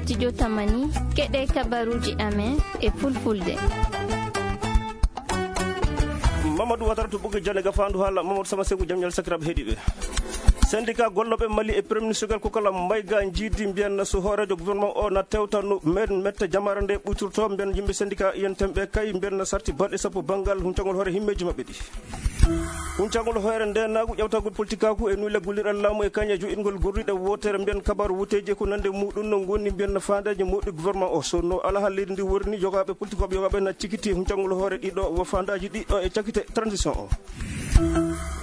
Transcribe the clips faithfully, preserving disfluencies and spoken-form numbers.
Studio Tamani, keɗe kabaruji amen e fulfulde. Mamadou Watara to Ɓoggol Jannde Gafaandu Haala, Mamadou Sama Seku, jam ñalle sakiraaɓe heɗiiɓe. Syndicat gollooɓe Mali e Premier Ministre Kokala Maïga njiidi mbiyan so hooreejo gouvernement o na tewta no men metta jamaare nde ɓuytorto mbiyan yimɓe syndicat I N T M ɓe kay mbiyan sarti balɗe sappo banngal huncangol hoore himmeeji maɓɓe ɗi. Huncangol hoore ndeenaagu, ƴawtagol politikaaku e nuyla gollirɗe laamu e kañe joɗɗingol gorriɗe wootere mbiyan kabaaru wuteeji e ko nande muɗum no ngoni mbiyan faandeeji moɗɗi gouvernement o. So no alaa leydi ndi woni, yogaaɓe politikooɓe yogaaɓe na cikiti huncangol hoore ɗiɗo wo faandaaji ɗiɗo e cakite transition o.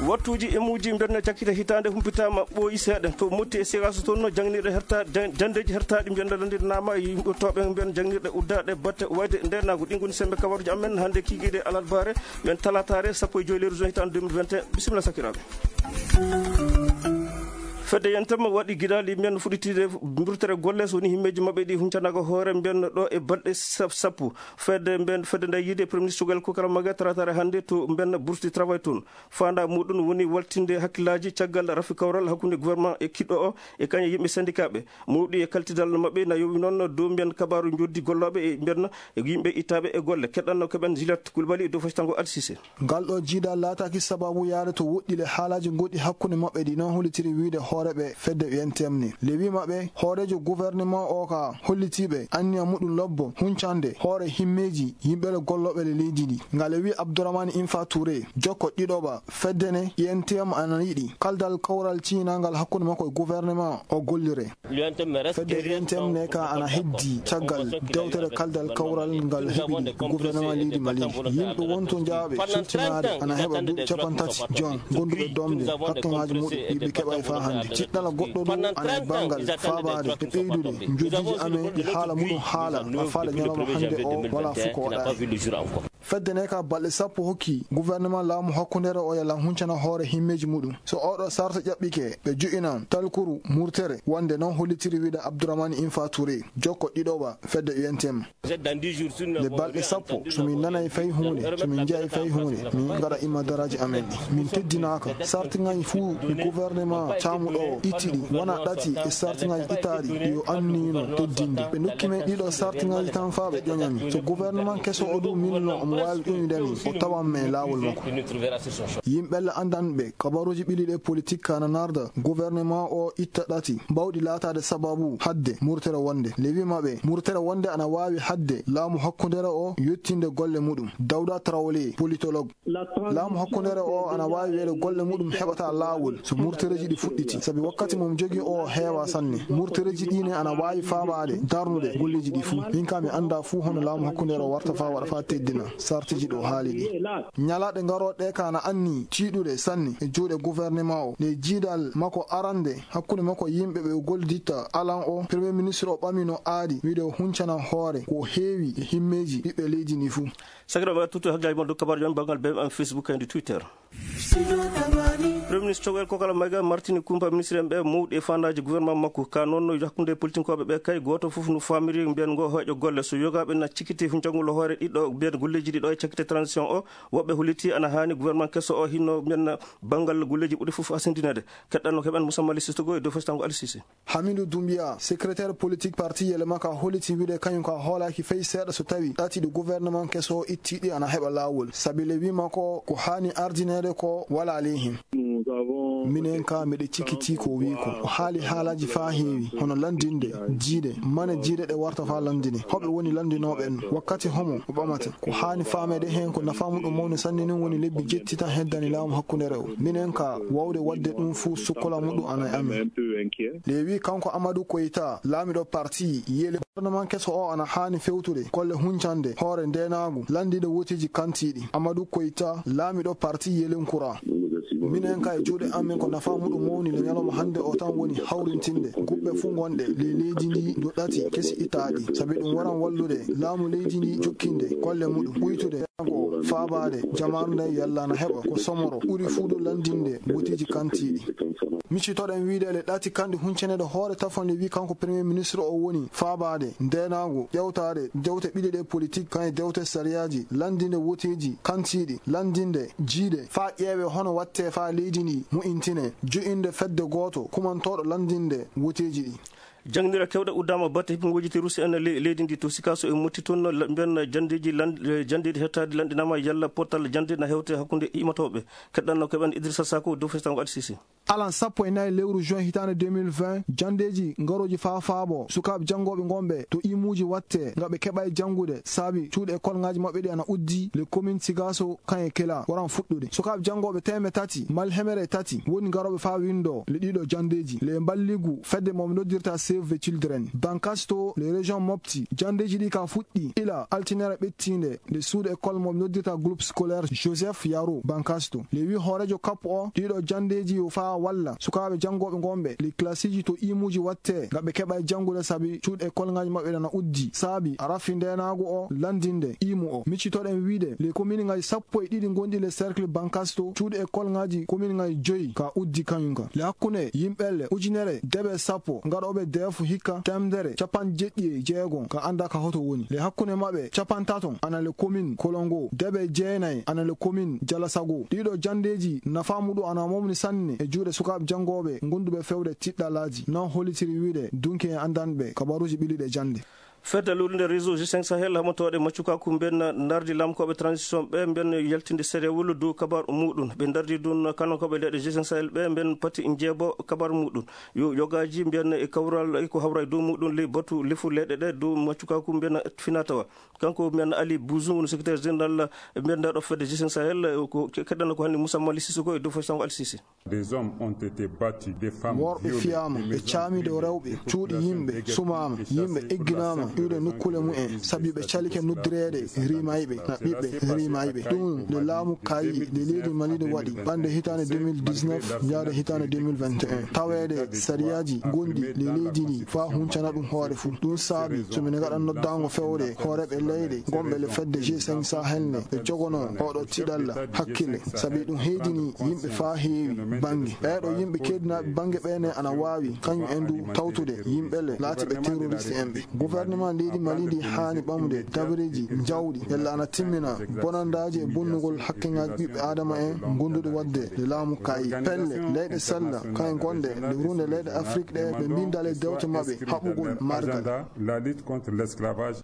Wattuuji e muuji mbiyan cakite hitaande humpitaama ɓooyi seeɗa to Motti e Sikaso toon no jangnirɗe herta-, jan-, janndeeji hertaaɗi mbiyan landirnaama yimɓe tooɓe mbiyan jangnirɗe uddaaɗe batte wayde ndeenaagu. Ɗi ngoni semmbe kabaruji amen hannde kiikiiɗe alarbaare. Men talataare sappo e joy lewru juin hitaande deux mille vingt et un. Bisimilla sakiraaɓe. Fedde yentam waɗi gidaali men fuɗɗitiide mburtere golle so woni himmeeji maɓɓe ɗi huncanaaka hoore mbiyan ɗo e balɗe sap-, sappo. Fedde mbiyan, fedde nde yiide Premier Ministre Kokala Maïga talataare hannde to mbiyan burti travail toon. Faanda muɗum woni waltinde hakkillaaji caggal rafi kawral hakkunde gouvernement e kiɗɗo o e kañe yimɓe syndicat ɓe. Mawɗi e kaltidal maɓɓe na yowi noon dow mbiyan kabaaru njoddi gollooɓe e mbiyan e yimɓe ittaaɓe e golle. Keɗɗanno keɓen Juliette Koulibaly e dow fasitango Alsise. Ngal ɗo jiidal laataaki sababu yaade to woɗɗile haalaaji goɗɗi hakkunde maɓɓe ɗi noon hollitiri wiyde hooreeɓe fedde U N T M ni. Le wii maɓɓe hooreejo gouvernement o ka hollitiiɓe anniya muɗum lobbo huncande hoore himmeeji yimɓe le gollooɓe le leydi ndi. Ngal e wii Abdourahmane Infa Touré, jokko ɗiɗoɓa fedde ne U N T M ana yiɗi kaldal kawral ciynangal hakkunde makko e gouvernement o gollire. Fedde U N T M ne ka ana heddi caggal dewtere kaldal kawral ngal heɓini gouvernement leydi Mali. Yimɓe wonto jaaɓe sirtinaade ana heɓa duuɓi capanɗe tati jon gonduɓe domde hakkeŋaaji muɗum ɗi ɓe keɓa e faa hannde. Jiɗɗala goɗɗo ɗo ana e banngal faabaade e ɓeydude njojiiji amen ɗi haala muɗum haala a faala ñalawma hannde o wala fuu ko waɗaani. Fedde ne ka balɗe sappo hokki gouvernement laamu hakkundeere o yalla huncana hoore himmeeji muɗum. So oɗo sarta ƴaɓɓike, ɓe ju'inan talkuru murtere, wonde noon hollitiri wiide Abdourahmane Infa Touré, jokko ɗiɗoɓa fedde U N T M. Nde balɗe sappo, so min nanay fay huunde, so min njiyay fay huunde, min ngaɗa imma daraaji amen ɗi. Min teddinaaka. Sartiŋaaji fuu ɗi gouvernement caamuɗo o itti ɗi, wona ɗati e sartiŋaaji ittaaɗi ɗi o anniyino teddinde. Ɓe ndokki men ɗiɗo sartiŋaaji tan faa ɓe ƴoña min. So gouvernement keso o du min no omo waawi ƴoñude min, o tawan men e laawol makko. Yimɓe le anndanɓe kabaruuji ɓilliiɗi e politik ka na narda gouvernement o itta ɗati mbawɗi laataade sababu hadde murtere wonde. Le wii maɓɓe, murtere wonde ana waawi hadde laamu hakkundeere o yottinde golle muɗum. Dawda Traoré, politologue. Laamu hakkundeere o ana waawi wiyeede golle muɗum heɓata laawol so murtereeji ɗi fuɗɗiti, sabi wakkati mo jogii o heewa sanne. Murtereeji ɗi ne ana waawi faabaade darnude golleeji ɗi fuu. Min ka mi annda fuu hono laamu hakkundeere o warta faa waɗa faa teddina sartiji ɗo haali ɗi. Ñalaaɗe ngarooɗe ka na anni tiiɗude sanne e juuɗe gouvernement o. Nde jiidal makko arande hakkunde makko yimɓe ɓe o golliditta alan o, Premier Ministre o ɓamino aadi wiide o huncana hoore ko heewi e himmeeji ɓiɓɓe leydi ndi fuu. Sakiraaɓe, tutto hakkillaaji mon dow kabaaruji men banngal B M M Facebook e Twitter. Premier Ministre Choguel Kokala Maïga martini kumpa ministre en ɓe mawɗi e fandaaji gouvernement makko. Ka noon no hakkunde politinkooɓe ɓe kay gooto fof no famiri mbiyan ngo hoyɗo golle. So yogaaɓe na cikiti fu njangol hoore ɗiɗo mbiyan golleeji ɗiɗo e cakite transition o, woɓɓe holliti ana haani gouvernement keso o hinno mbiyan banngal golleeji ɓuri fof hasindineede. Keɗɗanno keɓen Moussa Mali Sistogo e dow fasitango Aliou Cissé. Hamidu Doumbia, secrétaire politique parti Yelema ka holliti wiide kañum ka hoolaaki fay seeɗa so tawi ɗati ɗi gouvernement keso o itti ɗi ana heɓa laawol. Sabi le wii makko ko haani ardineede ko wala ley hen. Minen ka miɗe cikiti ko wii ko. O haali haalaaji faa heewi, hono lanndinde, jiide, mane jiide ɗe warta faa lanndine. Hoɓe woni lanndinooɓe en? Wakkati homo o ɓamata? Ko haani faameede heen ko nafaa muɗum mawni sanne nin woni lebbi jetti tan heddani laamu hakkundeere o. Minen ka waawde waɗde ɗum fuu sukkola muɗum ana e amen. Leewi kanko Amadou Koita, laamiɗo parti Yele. Gouvernement keso o ana haani fewtude golle huncande hoore ndeenaagu, lanndinde woteeji kantiiɗi. Amadou Koita, laamiɗo parti Yelenkura. Minen ka e juuɗe amen ko nafaa muɗum mawni le ñalawma hannde o tan woni hawrintinde guɓɓe fuu ngonɗe ley leydi ndi dow ɗati kesi itaaɗi. Sabi ɗum waran wallude laamu leydi ndi jokkinde golle muɗum, ɓuytude ko faabaade jamaaru nde yalla na heɓa ko somoro ɓuri fuu dow lanndinde woteeji kantiiɗi. Miccitoɗen wiide le ɗati kandi huncaneede hoore tafon le wii kanko Premier Ministre o woni faabaade ndeenaagu, ƴewtaade dewte ɓiɗe ɗe politique kan e dewte sariyaaji, lanndinde woteeji kantiiɗi, lanndinde jiide faa ƴeewe hono watte faa leydi ndi mo'intine, jo'inde fedde gooto kumantooɗo lanndinde woteeji ɗi. Jangnira kewɗe uddama batte hippinguji ti Rusi en ley leydi ndi to Sikaso e Motti toon, la-, mbiyen janndeeji lan-, eh, janndeeji hettaade lanɗinama yalla pottal jannde na hewte hakkunde imatooɓe. Keɗɗanno keɓen Idrissa Sako dow festango Al Sisi. Alan sappo e nayi lewru juin hitaande deux mille vingt, janndeeji ngarooji faa faabo sukaaɓe janngooɓe ngonɓe to imuuji watte nga ɓe keɓay janngude saabi cuuɗi e kolŋaaji maɓɓe ɗi ana uddi le commune Sikaso kan e Kela waran fuɗɗude. Sukaaɓe janngooɓe teeme tati mal hemere e tati woni ngarooɓe faa winndo le ɗiɗo janndeeji le mballigu fedde mo ɓe noddirta Save the Children. Bankasto le région Mopti, janndeeji ɗi ka fuɗɗi ila altinere ɓettiinde nde suuɗe école mo ɓe noddirta groupe scolaire Joseph Yaro Bankasto. Le wi hooreejo kappo o ɗiɗo janndeeji yo faa walla sukaaɓe janngooɓe ngonɓe le classiji to imuuji watte nga ɓe keɓay janngude saabi cuuɗi e kolŋaaji maɓɓe ɗana uddi saabi a rafi ndeenaagu o lanndinde imu o. Miccitoɗen wiide le commune ngaji sappo e ɗiɗi gonɗi le cercle Bankasto cuuɗi e kolŋaaji commune ngaji joyi ka uddi kañum ka. Le hakkunde yimɓe le ujunere deɓe sappo ngaɗooɓe deefu hikka temedere capanɗe jeɗɗi e jeegon ka annda ka hoto woni. Le hakkunde maɓɓe capantaton ana le commune Kolongo, deɓe jeenayi ana le commune Jalasago. Ɗiɗo janndeeji nafaa muɗum ana mawni sanne e juuɗe sukaaɓe janngooɓe gonduɓe fewde tiɗɗalaaji. Non hollitiri wiide dunki en anndanɓe kabaruuji ɓiliɗe jannde. Fedde luulnde réseau G cinq Sahel haɓotooɗe maccukaku mbiyen ndardi lamkooɓe transition ɓe mbiyen yaltinde serewol dow kabar muɗum. Ɓe ndardi ɗum kanonkooɓe leyɗe G cinq Sahel ɓe mbiyen pati njeebo kabar muɗum. Yo yogaaji mbiyen e kawral e ko hawra e dow muɗum ley batu lefu leyɗe ɗe dow maccukaku mbiyen finatawa. Kanko mbiyen Ali Bouzou, woni secrétaire général mbiyen ndaa ɗo fedde G cinq Sahel, ko ke-, keɗɗanno ko hannde Moussa Mali Sissoko e dow faysango Al Sisi. Des hommes ont été battus, des femmes worɓe violées, fiyaama, des ɓe maisons caamiiɗo brûlées, rewɓe, des cuuɗi populations yimɓe égarées sumaama, et yimɓe chassées egginaama, dans ces iwde quartiers nokkuule mumen, sabi ɓe calike noddireede riimayɓe, na ɓiɓɓe riimayɓe. Ɗum nde laamu kaayi nde leydi Mali nde waɗi, ɓannde hitaande deux mille dix-neuf, yaade hitaande deux mille vingt et un. Taweede sariyaaji gonɗi le leydi ndi faa huncana ɗum hoore fuu. Ɗum saabi so mine ngaɗa noddaango fewde hooreeɓe leyɗe gonɓe le fedde G cinq Sahel nde ɓe jogonoo oɗo tiɗalla hakkille, sabi ɗum heedini yimɓe faa heewi bannge. Ɓeeɗo yimɓe keedinaaɓe bannge ɓee ne ana waawi kañum en du tawtude yimɓe le laatiiɓe terroriste en ɓe. Gouvernement leydi Mali ndi haani ɓamude dabareeji njawɗi yalla ana timmina bonandaaji e bonnugol hakkeŋaaji ɓiɓɓe aadama en gonduɗe waɗde nde laamu kaayi. Pelle leyɗe sella kañum gonɗe nde runde leyɗe Afrik ɗe ɓe mbinda le dewte maɓɓe haɓugol margal. La lutte contre l'esclavage.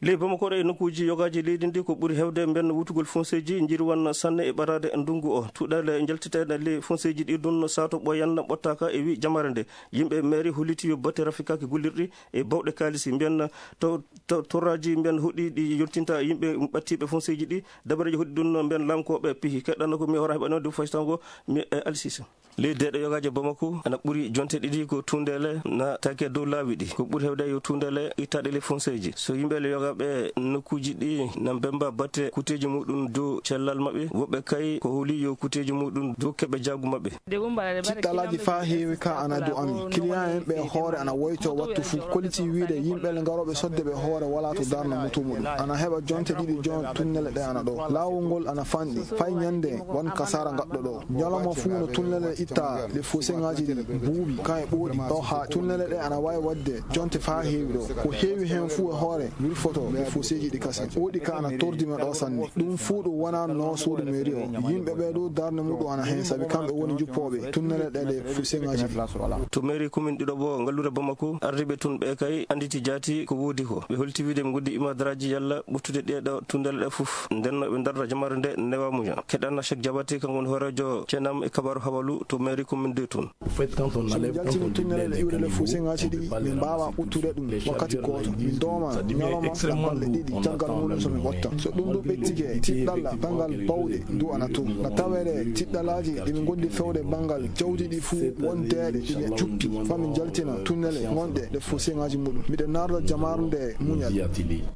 Ley Bamako ɗo e nokkuuji yogaaji leydi ndi ko ɓuri heewde mbenn wutugol fonseeji njirwan sanne e ɓaraade ndunngu o. Tuɗale njaltiteeɗe ley fonseeji ɗi ɗum saato ɓooyan ɓottaaka e wi jamare nde. Yimɓe meeri holliti yo batte rafikaaki gollirɗi e bawɗe kaalisi mbiyen to, to, torraaji mbiyen hoɗɗi ɗi yontinta yimɓe ɓattiiɓe fonseeji ɗi. Dabareeji hoɗɗi ɗum mbiyen laamkooɓe pihi. Keɗɗanno ko mi hora heɓano dow faytango mi e Alsise. Ley deeɗo yogaaji e Bamako ana ɓuri jonte ɗiɗi ko tuundeele na take dow laawi ɗi. Ko ɓuri heewde yo tuundeele ittaaɗe ley fonseeji. So yimɓe le yogaaɓe nokkuuji ɗi na mbemba batte kuuteeji muɗum dow cellal maɓɓe, woɓɓe kay ko holi yo kuuteeji muɗum dow keɓe jaagu maɓɓe. Tiɗɗalaaji faa heewi ka ana dow amin. Kiliyan en ɓe hoore ana woyto wattu fuu. Koliti wiide yimɓe le ngarooɓe sodde ɓe hoore walaa to darna moto muɗum. Ana heɓa jonte ɗiɗi jon tunnele ɗe ana ɗo. Laawol ngol ana fanɗi. Fay ñande wan kasaara ngaɗɗo ɗo. Ñalawma fuu no tunnele itta le foseŋaaji ɗi buuɓi kan e ɓooɗi. Ɗo haa tunnele ɗe ana waawi waɗde jonte faa heewi ɗo. Ko heewi heen fuu e hoore wirfoto le foseeji ɗi kasen. Ɓooɗi ka ana tordi men ɗo sanne. Ɗum fuu ɗum wonaa no suudu mairie o. Yimɓe ɓee ɗo darnde muɗum ana heen sabi kamɓe woni juppooɓe tunnele ɗe le foseŋaaji ɗi. To mairie commune ɗiɗo bo ngalluure Bamako, ardiiɓe tun ɓe kay annditi jaati ko woodi ko. Ɓe holti wiide ɓe ngondi imadraaji yalla ɓuttude ɗee ɗo tunnele ɗe fof. Nden no ɓe darda jamare nde newa muña. Keɗan Cheikh Diabaté, kanko woni hooreejo Cenam e kabaru habalu to mairie commune de tun. So ɓe jaltini tunnele ɗe iwde le fof seŋaaji ɗi, min mbaawa ɓuttude ɗum wakkati gooto. Min dooma ñalawma balɗe ɗiɗi caggal muɗum so min ɓotta. So ɗum ɗum ɓettike, tiɗɗalla banngal bawɗe ndu ana to. Na taweede tiɗɗalaaji ɗi min ngondi fewde banngal jawdi ɗi fuu won deeɗe ɗi min cukki. Faa min jaltina tunnele ngonɗe ɗe fof seŋaaji muɗum. Miɗen naarda jamaarde muñal.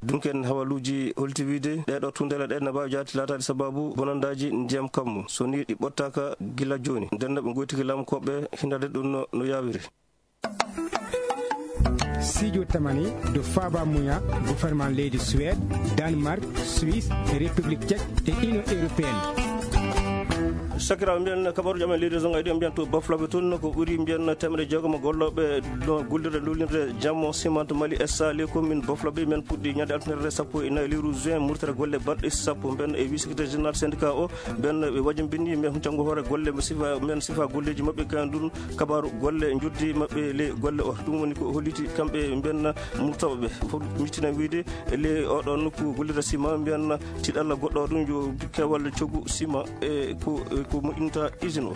Dunken habaluuji holti wiide ɗee ɗo tunnele ɗe na mbaawi jaati laataade sababu bonandaaji ndiyam kammu. So ni ɗi ɓottaaka gila jooni. Nden no ɓe ngoytiki laamkooɓe hindade ɗum no, no yaawiri. Sijo tamani do faba muya gouvernement leydi Suède, Danemark, Suisse, République Tchèque et Union Européenne. Sakiraaɓe, mbiyen kabaruuji amen leydi zone ayɗi, mbiyen to Baflabe toon, ko ɓuri mbiyen teemedde jeegom gollooɓe no gollirde lolirde jammo ciment Mali S A les communes Baflabe. Men puɗɗi ñande altine sappo e nayi lewru juin, murtere golle balɗe sappo. Mbiyen e wii secrétaire général syndicat o, mbiyen ɓe wajambini men huncangol hoore golle mo sifa, men sifa golleeji maɓɓe, kan ɗum kabaaru golle njoddi maɓɓe le golle o. Ɗum woni ko holliti kamɓe mbiyen murtooɓe ɓe. Fof mittina wiide le oɗo nokku gollirde ciment, mbiyen tiɗalla goɗɗo ɗum yo kewal cogu ciment e ko, e ko moƴƴinta usine o.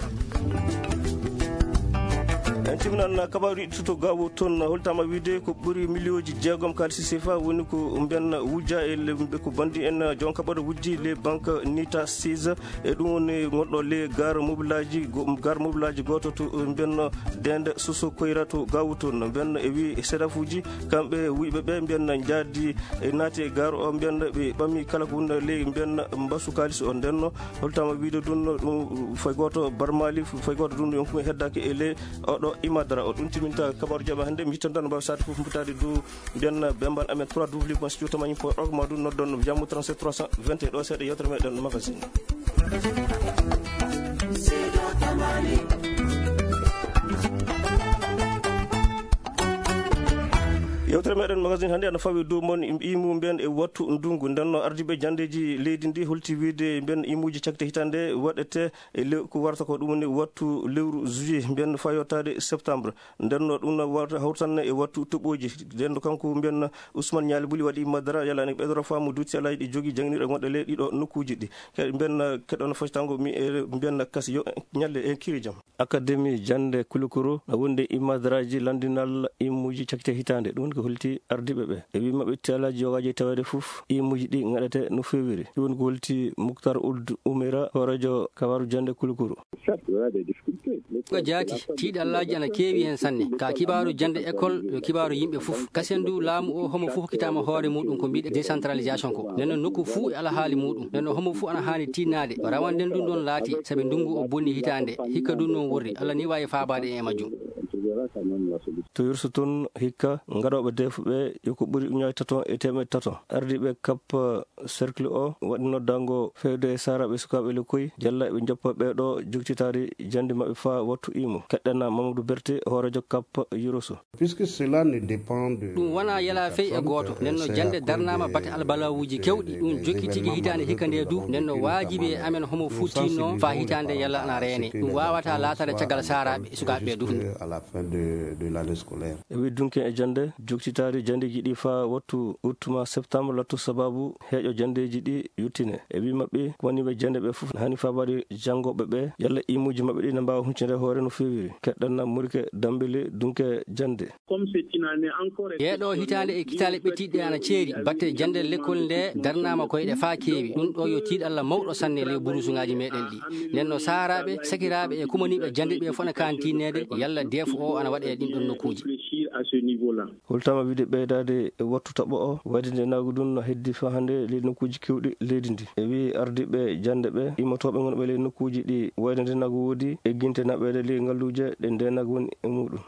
En timminan kabaaru iɗɗo to Gaawo toon, holtama wiide ko ɓuri miliyooji jeegom kaalisi sefa woni ko mbiyen wujja e le, ko bandi en jon kaɓɓoɗo wujji le banque Nita Sise. E ɗum woni gonɗo le gar mobilaji go-, gar mobilaji gooto to mbiyen Dende Soso Koyra to Gaawo toon. Mbiyen e wi sedafuji, kamɓe wuyɓe ɓe mbiyen jaadi e naati e gar o, mbiyen ɓe ɓami kala ko woni le mbiyen mbasu kaalisi o. Ndenno holtama wiide ɗum, ɗum fay gooto barmali, fay gooto ɗum, ɗum heddaaki e le oɗo imadara o. Ɗum timinta kabaaru jama hannde. Mi yittan tan mbawi sade fof mbutaade dow mbiyen bembal amen trois W point studio tamani point org, ma ɗum noddon jammu trente-sept trois cent vingt et un. Ɗo seeɗa yewtere meɗen magazine. Yewtere meɗen magazine hannde ana fawi dow mon im-, imu mbiyen e wattu ndungu. Ndenno ardiɓe jandeji leydi ndi holti wiide mbiyen imuji cakte hitande waɗete e lew-, ko warata ko ɗum woni wattu lewru juillet, mbiyen fayotaade septembre. Ndenno ɗum no warata hawtanne e wattu toɓoji. Ndenno kanko mbiyen Ousmane Nialy Bouly waɗi madara yala ne ɓeydoro faamu dutti alaji ɗi jogi janginirɗe gonɗe le ɗiɗo nokkuji ɗi. Ke-, mbiyen keɗono fasitango mi e mbiyen kasi yo ñalle en kiri jam. Akademi jannde Kulukuru na wondi e imadaraaji lanndinal imuuji cakkite hitaande. Ɗum woni ko holti ardiiɓe ɓe. E wii maɓɓe, tiyalaaji yogaaji e taweede fof, imuuji ɗi ngaɗete no feewiri. Ɗum woni ko holti Muktar Uld Umera, hooreejo kabaaru jannde Kulukuru. Ko jaati, tiiɗallaaji ana keewi heen sanne. Ka kibaaru jannde école, yo kibaaru yimɓe fof. Kasen du, laamu o, homo fof hokkitaama hoore muuɗum ko mbiɗe décentralisation ko. Nden noon nokku fuu e alhaali muuɗum. Nden noon homo fuu ana haani tiinnaade. Rawanden ɗum ɗoon laati, sabi ndunngu o bonni hitaande. Hikka ɗum noon worri. Allah ni waawi faabaade en e majjum. To Yursu toon, hikka ngaɗooɓe deefu ɓe yo ko ɓuri ujunnaaje tato e teemedde tato. Ardiiɓe kap cercle o waɗi noddaango fewde e saaraaɓe sukaaɓe lekkoy, jalla eɓe njoppa ɓeeɗo joktitaari jannde maɓɓe faa wattu imu. Keɗɗana Mamadou Berté, hooreejo kap Yursu. Puisque cela ne dépend de... Ɗum wonaa yalaa fey e gooto. Nden no jannde darnaama bate albalawuuji kewɗi. Ɗum jokki tigi hitaande hikka nde du. Nden no waajibi e amen homo fuu tiinnoo faa hitaande yalla ana reene. Ɗum waawataa laataade caggal saaraaɓe e sukaaɓe ɓe du. À la fin de, de l'année scolaire. E wii dunke e jannde, joktitaari janndeeji ɗi faa wattu août ma septembre lattu sabaabu heeƴo janndeeji ɗi yottine. E wii maɓɓe, ko woni ɓe jannde ɓe fof haani faabaade janngooɓe ɓe, yalla imuuji maɓɓe ɗi ne mbaawa huccinde hoore no feewiri. Keɗɗanna Murike Dambele dunke jannde. Yeeɗo hitaande e kitaale ɓettiiɗe ana ceeri, batte jannde lekkol nde darnaama koyɗe faa keewi. Ɗum ɗo yo tiiɗalla mawɗo sanne ley burusuŋaaji meɗen ɗi. Nden no saaraaɓe, sakiraaɓe e kumaniiɓe jannde ɓe fof ana kaani tiinneede, yalla deefu o ana waɗe e ɗin ɗon nokkuuji. Holtama wiide ɓeydaade e wattu taɓo o, wayde nde naagu ɗum no heddi faa hannde ley nokkuuji keewɗi leydi ndi. E wii ardiiɓe jannde ɓe, immotooɓe ngonɓe ley nokkuuji ɗi wayde nde naagu woodi, egginte naɓeede ley ngalluuje ɗe nde naagu woni e muuɗum.